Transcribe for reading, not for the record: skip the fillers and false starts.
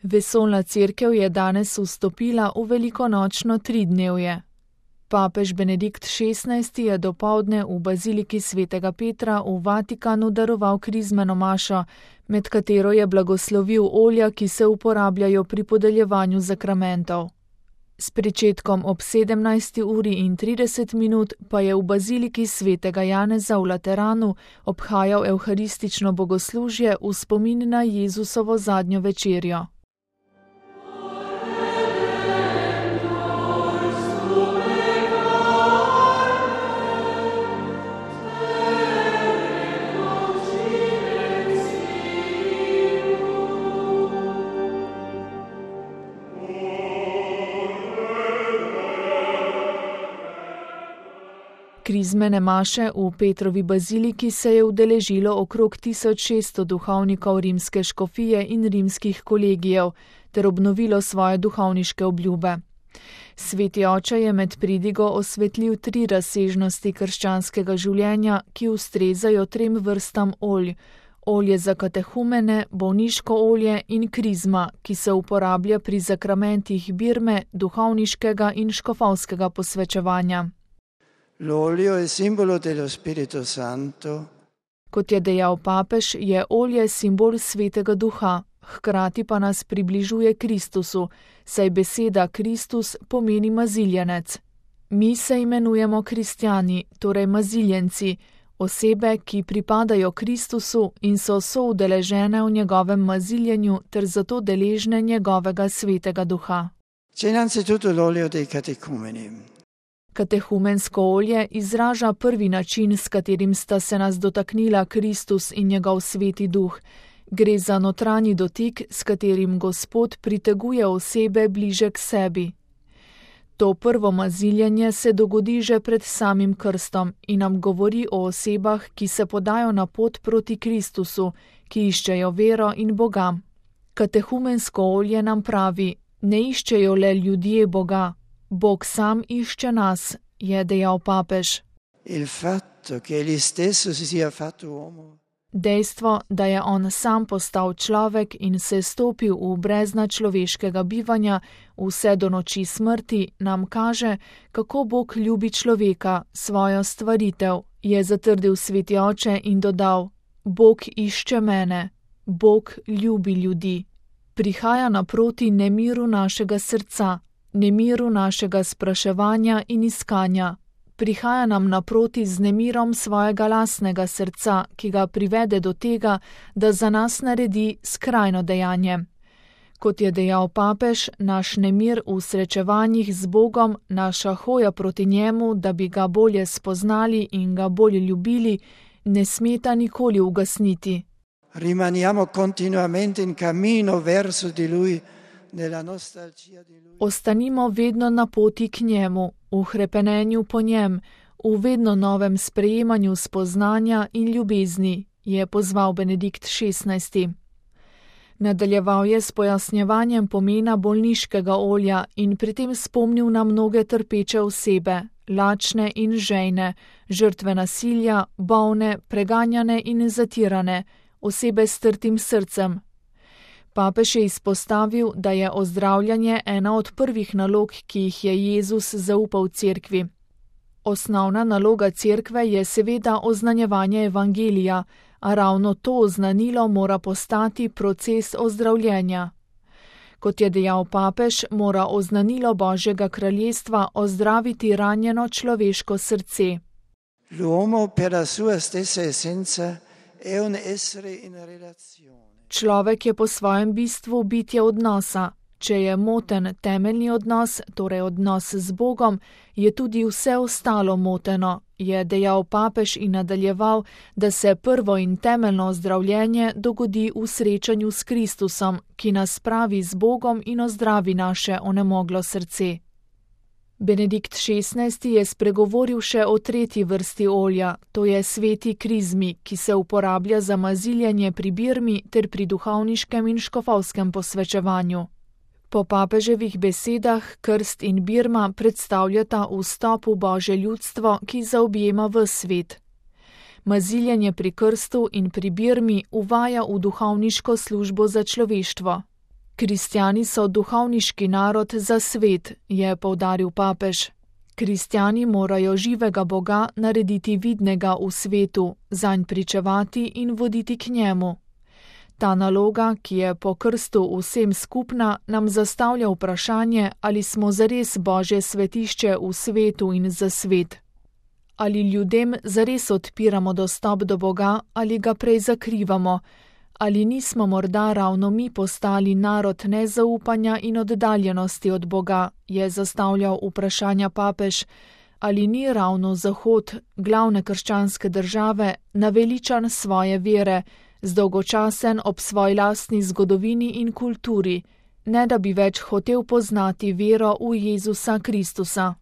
Vesoljna cerkev je danes vstopila v velikonočno tridnevje. Papež Benedikt XVI je dopoldne v baziliki svetega Petra v Vatikanu daroval krizmeno mašo, med katero je blagoslovil olja, ki se uporabljajo pri podeljevanju zakramentov. S pričetkom ob 17:30 pa je v baziliki svetega Janeza v Lateranu obhajal evharistično bogoslužje v spomin na Jezusovo zadnjo večerjo. Krizmene maše v Petrovi baziliki se je udeležilo okrog 1600 duhovnikov rimske škofije in rimskih kolegijev ter obnovilo svoje duhovniške obljube. Sveti oče je med pridigo osvetlil 3 razsežnosti krščanskega življenja, ki ustrezajo 3 vrstam olj: olje za katehumene, bolniško olje in krizma, ki se uporablja pri zakramentih birme, duhovniškega in škofovskega posvečevanja. L'olio è simbolo dello Spirito Santo. Kot je dejal papež, je olje simbol Svetega Duha, hkrati pa nas približuje Kristusu, saj beseda Kristus pomeni maziljenec. Mi se imenujemo kristjani, torej maziljenci, osebe, ki pripadajo Kristusu in so soudeležene v njegovem maziljenju ter zato deležne njegovega Svetega Duha. C'è innanzitutto l'olio dei catecumeni. Katehumensko olje izraža prvi način, s katerim sta se nas dotaknila Kristus in njegov Sveti Duh. Gre za notranji dotik, s katerim Gospod priteguje osebe bliže k sebi. To prvo maziljenje se dogodi že pred samim krstom in nam govori o osebah, ki se podajo na pot proti Kristusu, ki iščejo vero in Boga. Katehumensko olje nam pravi: ne iščejo le ljudje Boga, Bog sam išče nas, je dejal papež. Il fatto che egli stesso si sia fatto uomo. Dejstvo, da je on sam postal človek in se stopil v brezna človeškega bivanja vse do noči smrti, nam kaže, kako Bog ljubi človeka, svojo stvaritev, je zatrdil Sveti oče in dodal: Bog išče mene, Bog ljubi ljudi. Prihaja naproti nemiru našega srca, nemiru našega spraševanja in iskanja. Prihaja nam naproti z nemirom svojega lastnega srca, ki ga privede do tega, da za nas naredi skrajno dejanje. Kot je dejal papež, naš nemir v srečevanjih z Bogom, naša hoja proti njemu, da bi ga bolje spoznali in ga bolje ljubili, ne smeta nikoli ugasniti. Rimaniamo continuamente in cammino verso di lui. Ostanimo vedno na poti k njemu, v hrepenenju po njem, v vedno novem sprejemanju spoznanja in ljubezni, je pozval Benedikt XVI. Nadaljeval je s pojasnjevanjem pomena bolniškega olja in pri tem spomnil na mnoge trpeče osebe, lačne in žejne, žrtve nasilja, bolne, preganjane in zatirane, osebe s trtim srcem. Papež je izpostavil, da je ozdravljanje ena od prvih nalog, ki jih je Jezus zaupal cerkvi. Osnovna naloga cerkve je seveda oznanjevanje evangelija, a ravno to oznanilo mora postati proces ozdravljenja. Kot je dejal papež, mora oznanilo Božjega kraljestva ozdraviti ranjeno človeško srce. L'uomo per la sua stessa essenza è un essere in relazione. Človek je po svojem bistvu bitje odnosa. Če je moten temeljni odnos, torej odnos z Bogom, je tudi vse ostalo moteno, je dejal papež in nadaljeval, da se prvo in temeljno ozdravljenje dogodi v srečanju s Kristusom, ki nas spravi z Bogom in ozdravi naše onemoglo srce. Benedikt XVI je spregovoril še o tretji vrsti olja, to je sveti krizmi, ki se uporablja za maziljenje pri birmi ter pri duhovniškem in škofovskem posvečevanju. Po papeževih besedah krst in birma predstavljata vstop v Božje ljudstvo, ki zaobjema ves svet. Maziljenje pri krstu in pri birmi uvaja v duhovniško službo za človeštvo. Kristjani so duhovniški narod za svet, je poudaril papež. Kristjani morajo živega Boga narediti vidnega v svetu, zanj pričevati in voditi k njemu. Ta naloga, ki je po krstu vsem skupna, nam zastavlja vprašanje, ali smo zares Božje svetišče v svetu in za svet. Ali ljudem zares odpiramo dostop do Boga ali ga prej zakrivamo, ali nismo morda ravno mi postali narod nezaupanja in oddaljenosti od Boga, je zastavljal vprašanja papež, ali ni ravno Zahod, glavne krščanske države, naveličan svoje vere, zdolgočasen ob svoji lastni zgodovini in kulturi, ne da bi več hotel poznati vero v Jezusa Kristusa.